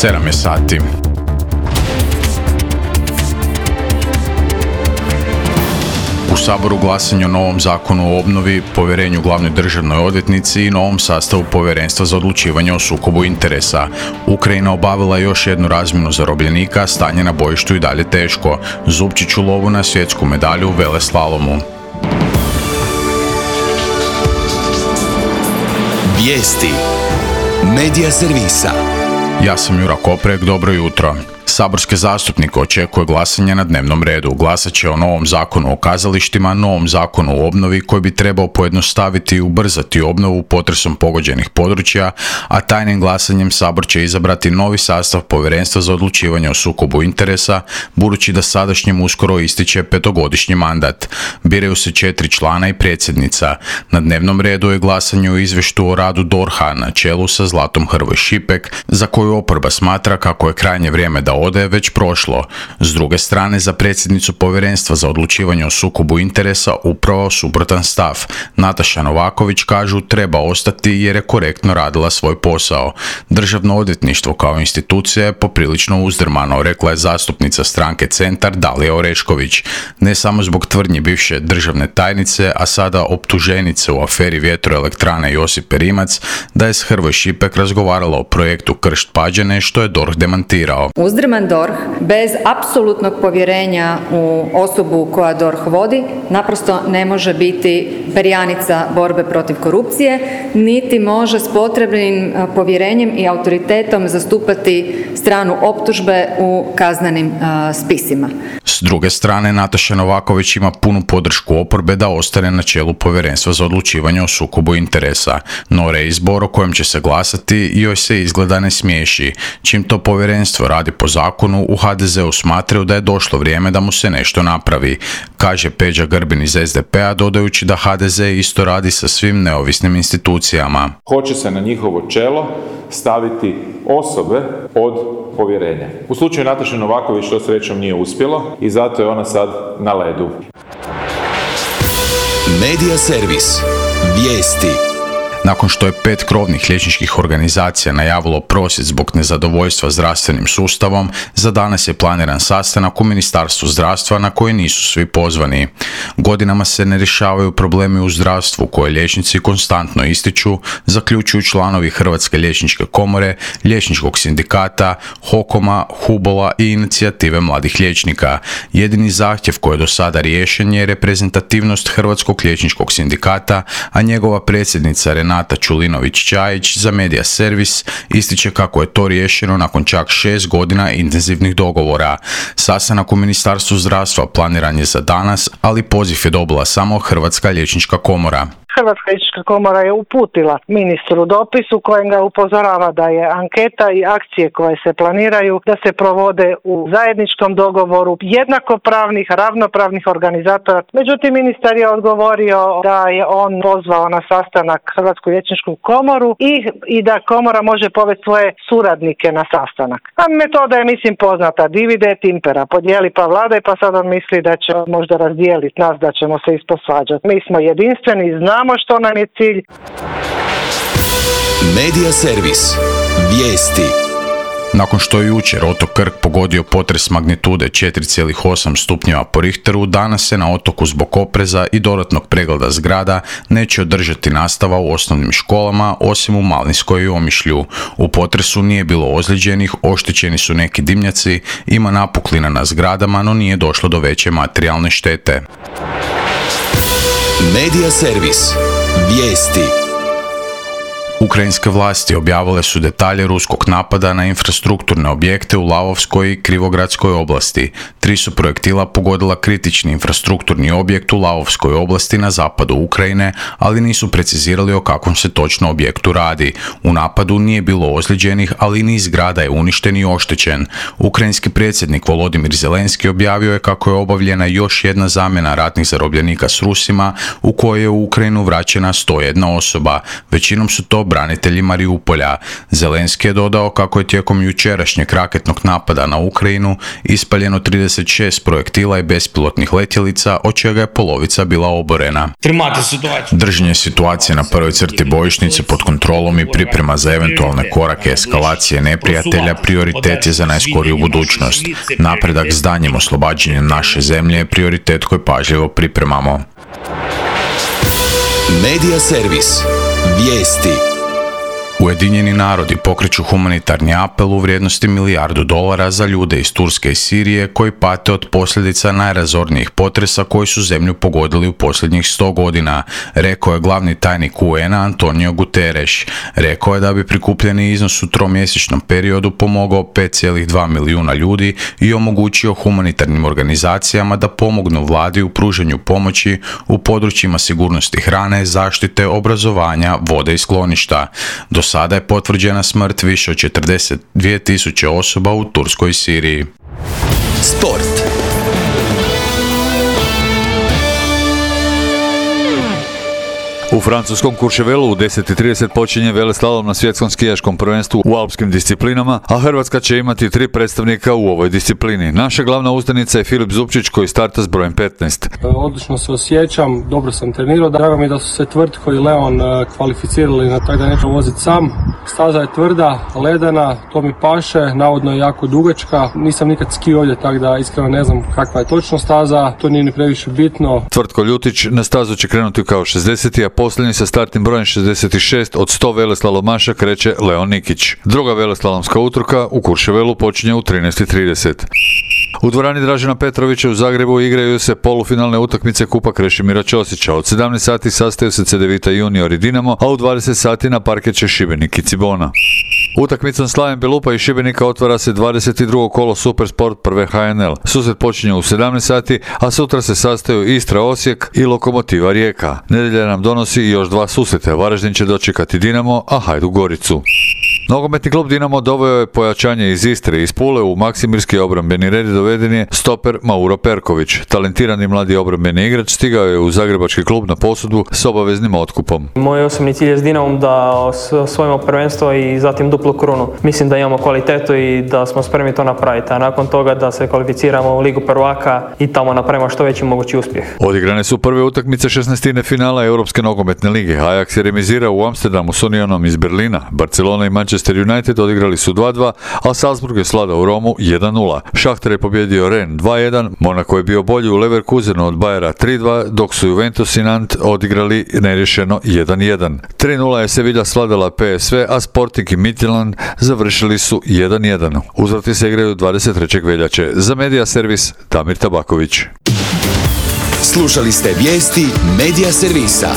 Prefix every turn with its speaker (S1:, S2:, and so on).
S1: 7 je sati. U Saboru glasanje o novom zakonu o obnovi, povjerenju glavnoj državnoj odvjetnici i novom sastavu povjerenstva za odlučivanje o sukobu interesa. Ukrajina obavila još jednu razmjenu zarobljenika, stanje na bojištu i dalje teško. Zupčić u lovu na svjetsku medalju u veleslalomu.
S2: Vijesti Medija servisa.
S1: Ja sam Jura Koprek, dobro jutro. Saborske zastupnike očekuje glasanje na dnevnom redu. Glasat će o novom zakonu o kazalištima, novom zakonu o obnovi koji bi trebao pojednostaviti i ubrzati obnovu potresom pogođenih područja, a tajnim glasanjem Sabor će izabrati novi sastav povjerenstva za odlučivanje o sukobu interesa, budući da sadašnjem uskoro ističe 5-godišnji mandat. Biraju se 4 člana i predsjednica. Na dnevnom redu je glasanje o izvještu o radu DORH-a na čelu sa Zlatom Hrvoj Šipek, za koju oporba smatra kako je krajnje vrijeme da ode već prošlo. S druge strane, za predsjednicu povjerenstva za odlučivanje o sukobu interesa upravo suprotan stav. Nataša Novaković, kažu, treba ostati jer je korektno radila svoj posao. Državno odvjetništvo kao institucija je poprilično uzdrmano, rekla je zastupnica stranke Centar Dalija Orešković. Ne samo zbog tvrdnji bivše državne tajnice, a sada optuženice u aferi vjetroelektrane Josipe Rimac, da je s Hrvoj Šipek razgovarala o projektu Kršt-Pađene, što je DORH demantirao.
S3: Uzdrman DORH bez apsolutnog povjerenja u osobu koja DORH vodi naprosto ne može biti perjanica borbe protiv korupcije, niti može s potrebnim povjerenjem i autoritetom zastupati stranu optužbe u kaznenim spisima.
S1: S druge strane, Nataša Novaković ima punu podršku oporbe da ostane na čelu povjerenstva za odlučivanje o sukobu interesa. No reizbor o kojem će se glasati joj se izgleda ne smiješi. Čim to povjerenstvo radi po zakonu, u HDZ-u smatraju da je došlo vrijeme da mu se nešto napravi, kaže Peđa Grbin iz SDP-a, dodajući da HDZ isto radi sa svim neovisnim institucijama.
S4: Hoće se na njihovo čelo staviti osobe od povjerenja. U slučaju Nataše Novaković to srećom nije uspjelo i zato je ona sad na ledu.
S2: Medija servis. Vijesti.
S1: Nakon što je 5 krovnih liječničkih organizacija najavilo prosvjed zbog nezadovoljstva zdravstvenim sustavom, za danas je planiran sastanak u Ministarstvu zdravstva na koji nisu svi pozvani. Godinama se ne rješavaju problemi u zdravstvu koje liječnici konstantno ističu, zaključuju članovi Hrvatske liječničke komore, Liječničkog sindikata, HOKOM-a, HUBOL-a i inicijative mladih liječnika. Jedini zahtjev koji je do sada riješen je reprezentativnost Hrvatskog liječničkog sindikata, a njegova predsjednica Renata Čulinović-Čajić za Medija servis ističe kako je to riješeno nakon čak 6 godina intenzivnih dogovora. Sastanak u Ministarstvu zdravstva planiran je za danas, ali poziv je dobila samo Hrvatska liječnička komora.
S5: Hrvatska liječnička komora je uputila ministru dopis u kojem ga upozorava da je anketa i akcije koje se planiraju da se provode u zajedničkom dogovoru jednakopravnih, ravnopravnih organizatora. Međutim, ministar je odgovorio da je on pozvao na sastanak Hrvatsku liječničku komoru i da komora može povesti svoje suradnike na sastanak. A metoda je, mislim, poznata. Divide et impera. Podijeli pa vladaj, pa sad on misli da će možda razdijeliti nas, da ćemo se isposvađati. Mi smo jedinstveni i znamo što nam je cilj.
S2: Medija servis. Vijesti.
S1: Nakon što je jučer otok Krk pogodio potres magnitude 4,8 stupnjeva po Richteru, danas se na otoku zbog opreza i dodatnog pregleda zgrada neće održati nastava u osnovnim školama, osim u Malninskoj i Omišlju. U potresu nije bilo ozlijeđenih, oštećeni su neki dimnjaci, ima napuklina na zgradama, no nije došlo do veće materijalne štete.
S2: Medija servis. Vijesti.
S1: Ukrajinske vlasti objavile su detalje ruskog napada na infrastrukturne objekte u Lavovskoj i Krivogradskoj oblasti. 3 su projektila pogodila kritični infrastrukturni objekt u Lavovskoj oblasti na zapadu Ukrajine, ali nisu precizirali o kakvom se točno objektu radi. U napadu nije bilo ozlijeđenih, ali niz zgrada je uništen i oštećen. Ukrajinski predsjednik Volodimir Zelenski objavio je kako je obavljena još jedna zamjena ratnih zarobljenika s Rusima, u kojoj je u Ukrajinu vraćena 101 osoba. Većinom su to branitelji Mariupolja. Zelenski je dodao kako je tijekom jučerašnjeg raketnog napada na Ukrajinu ispaljeno 30 36 projektila i bespilotnih letjelica, od čega je polovica bila oborena. Držanje situacije na prvoj crti bojišnice pod kontrolom i priprema za eventualne korake eskalacije neprijatelja prioritet je za najskoriju budućnost. Napredak s daljnjim oslobađanjem naše zemlje je prioritet koji pažljivo pripremamo.
S2: Medija servis. Vijesti.
S1: Ujedinjeni narodi pokreću humanitarni apel u vrijednosti $1 milijardu za ljude iz Turske i Sirije koji pate od posljedica najrazornijih potresa koji su zemlju pogodili u posljednjih 100 godina, rekao je glavni tajnik UN-a Antonio Guterres. Rekao je da bi prikupljeni iznos u tromjesečnom periodu pomogao 5,2 milijuna ljudi i omogućio humanitarnim organizacijama da pomognu vladi u pružanju pomoći u područjima sigurnosti hrane, zaštite, obrazovanja, vode i skloništa. Do sada je potvrđena smrt više od 42.000 osoba u Turskoj i Siriji.
S2: Sport.
S6: U francuskom Courchevelu u 10:30 počinje veleslalom na svjetskom skijaškom prvenstvu u alpskim disciplinama, a Hrvatska će imati 3 predstavnika u ovoj disciplini. Naša glavna uzdanica je Filip Zupčić koji starta s brojem 15.
S7: Odlično se osjećam, dobro sam trenirao. Drago mi je da su se Tvrtko i Leon kvalificirali na taj da neću voziti sam. Staza je tvrda, ledena, to mi paše, navodno je jako dugačka. Nisam nikad skio ovdje, tako da iskreno ne znam kakva je točno staza, to nije ni previše bitno.
S6: Tvrtko Ljutić na stazu će krenuti kao 60. a posljednji sa startnim brojem 66 od 100 veleslalomaša kreće Leon Nikić. Druga veleslalomska utrka u Courchevelu počinje u 13:30. U dvorani Dražena Petrovića u Zagrebu igraju se polufinalne utakmice Kupa Krešimira Ćosića. Od 17 sati sastaju se Cedevita Junior i Dinamo, a u 20 sati na parket će Šibenik i Cibona. Utakmicom Slaven Belupa i Šibenika otvara se 22. kolo Supersport prve HNL. Susret počinje u 17 sati, a sutra se sastaju Istra Osijek i Lokomotiva Rijeka. Nedjelja nam donosi još 2 susreta. Varaždin će dočekati Dinamo, a Hajduk Goricu. Nogometni klub Dinamo doveo je pojačanje iz Istre. Iz Pule u Maksimirski obrambeni red doveden je stoper Mauro Perković. Talentirani mladi obrambeni igrač stigao je u zagrebački klub na posudbu s obaveznim otkupom.
S8: Moj osobni cilj je s Dinamom da osvojimo prvenstvo i zatim duplu krunu. Mislim da imamo kvalitetu i da smo spremni to napraviti, a nakon toga da se kvalificiramo u Ligu prvaka i tamo napravimo što veći mogući uspjeh.
S6: Odigrane su prve utakmice 16. finala Europske nogometne lige. Ajax je remizirao u Amsterdamu s Unionom iz Berlina. Barcelona i Manchester United odigrali su 2:2, a Salzburg je sladao u Romu 1:0. Šahtar je pobjedio Rennes 2:1, Monaco je bio bolji u Leverkusenu od Bayera 3:2, dok su Juventus i Nantes odigrali neriješeno 1:1. 3:0 je Sevilla svladala PSV, a Sporting i Midtjylland završili su 1:1. Uzvrati se igraju 23. veljače. Za Medija servis Damir Tabaković.
S2: Slušali ste vijesti Medija servisa.